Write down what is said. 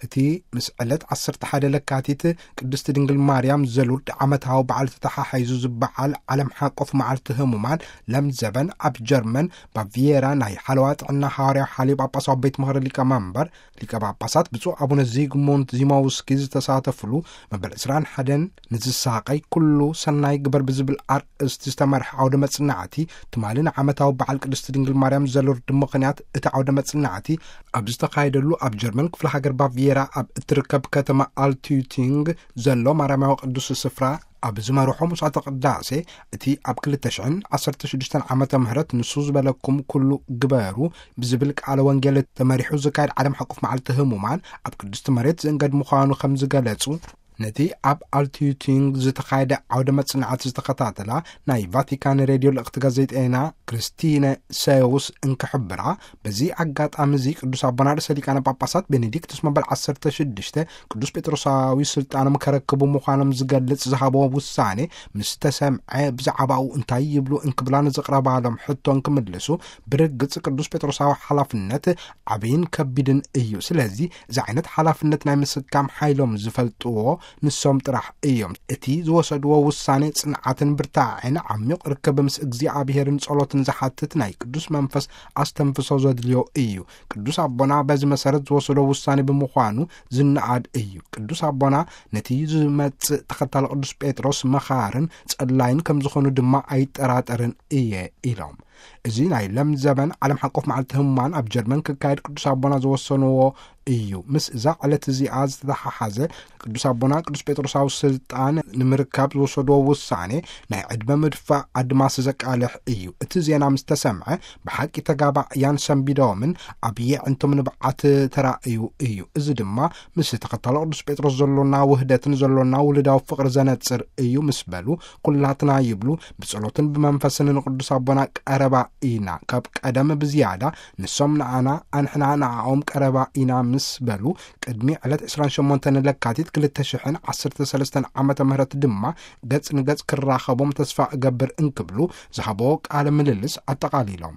እቲ ምስ ዕለት ዓሰርተ ሓደ ለካቲት ቅድስቲ ድንግል ማርያም ዘሉርድ ዓመታዊ በዓል ተተሓሒዙ ዝበዓል ዓለም ሓቆፍ መዓልቲ ህሙማን ለምዘበን፣ ኣብ ጀርመን ባቪየራ ናይ ሓለዋ ጥዕና ሃዋርያዊ ሓልዮ ጳጳሳዊ ቤት ምኽሪ ሊቀ መንበር ሊቀ ጳጳሳት ብፁዕ ኣቡነ ዚግሙንት ዚማውስኪ ዝተሳተፍሉ፣ መበል ዕስራን ሓደን ንዝሳቐይ ኩሉ ሰናይ ግበር ብዝብል ኣርእስቲ ዝተመርሐ ዓውደ መጽናዕቲ፣ ትማሊ ንዓመታዊ በዓል ቅድስቲ ድንግል ማርያም ዘሉርድ ምኽንያት እቲ ዓውደ መጽናዕቲ ኣብ ዝተኻየደሉ፣ ኣብ ጀርመን ክፍለ ሃገር ባቪየራ ኣብ እትርከብ ከተማ ኣልትዩቲንግ ዘሎ ማርያማዊ ቅዱስ ስፍራ ኣብ ዝመርሖ መስዋዕተ ቅዳሴ፣ እቲ ኣብ ክልተ ሽሕን ዓሰርተ ሽዱሽተን ዓመተ ምህረት ንሱ ዝበለኩም ኩሉ ግበሩ ብዝብል ቃለ ወንጌል ተመሪሑ ዝካየድ ዓለም ሓቆፍ መዓልቲ ህሙማን ኣብ ቅድስቲ መሬት ዝእንገድ ምዃኑ ከም ዝገለጹ፣ ነቲ ኣብ ኣልትዩቲንግ ዝተኻየደ ዓውደ መጽናዕቲ ዝተኸታተላ ናይ ቫቲካን ሬድዮ ልእኽቲ ጋዜጠና ክርስቲነ ሰውስ እንክሕብራ፣ በዚ ኣጋጣሚ እዚ ቅዱስ ኣቦና ርእሰ ሊቃነ ጳጳሳት ቤኔዲክቱስ መበል ዓሰርተ ሽዱሽተ ቅዱስ ጴጥሮሳዊ ስልጣኖም ከረክቡ ምዃኖም ዝገልጽ ዝሃብዎ ውሳኔ ምስ ተሰምዐ፣ ብዛዕባኡ እንታይ ይብሉ እንክብላ ንዝቕረባሎም ሕቶ እንክምልሱ፣ ብርግጽ ቅዱስ ጴጥሮሳዊ ሓላፍነት ዓብይን ከቢድን እዩ። ስለዚ እዚ ዓይነት ሓላፍነት ናይ ምስካም ሓይሎም ዝፈልጥዎ ንሶም ጥራሕ እዮም። እቲ ዝወሰድዎ ውሳኔ ጽንዓትን ብርታዕን ዓሚቕ ርክብ ምስ እግዚኣብሔርን ጸሎትን ዝሓትት ናይ ቅዱስ መንፈስ ኣስተንፍሶ ዘድልዮ እዩ። ቅዱስ ኣቦና በዚ መሰረት ዝወሰዶ ውሳኔ ብምዃኑ ዝነኣድ እዩ። ቅዱስ ኣቦና ነቲ ዝመጽእ ተኸታሊ ቅዱስ ጴጥሮስ መኻርን ጸላይን ከም ዝኾኑ ድማ ኣይጠራጠርን እየ ኢሎም። እዚ ናይ ለምዘበን ዓለም ሓቆፍ መዓልቲ ህሙማን ኣብ ጀርመን ክካየድ ቅዱስ ኣቦና ዝወሰንዎ እዩ። ምስ እዛ ዕለት እዚኣ ዝተተሓሓዘ ቅዱስ ኣቦና ቅዱስ ጴጥሮሳዊ ስልጣን ንምርካብ ዝወሰድዎ ውሳኔ ናይ ዕድመ ምድፋእ ኣድማስ ዘቃልሕ እዩ። እቲ ዜና ምስ ተሰምዐ ብሓቂ ተጋባእያን ሰንቢዶምን ኣብ የዕንቶም ንብዓት ተራእዩ እዩ። እዚ ድማ ምስ ተኸታሎ ቅዱስ ጴጥሮስ ዘሎና ውህደትን ዘሎና ውሉዳዊ ፍቕሪ ዘነጽር እዩ ምስ በሉ፣ ኩላትና ይብሉ ብጸሎትን ብመንፈስን ንቅዱስ ኣቦና ቀረባ ኢና። ካብ ቀደም ብዝያዳ ንሶም ንኣና፣ ኣንሕና ንኣኦም ቀረባ ኢና ምስ በሉ፣ ቅድሚ ዕለት ዕስራን ሸሞንተን ለካቲት ክልተ ሽሕን ዓሰርተ ሰለስተን ዓመተ ምህረት ድማ ገጽ ንገጽ ክራኸቦም ተስፋ እገብር እንክብሉ ዝሃቦ ቃለ ምልልስ ኣጠቓሊሎም።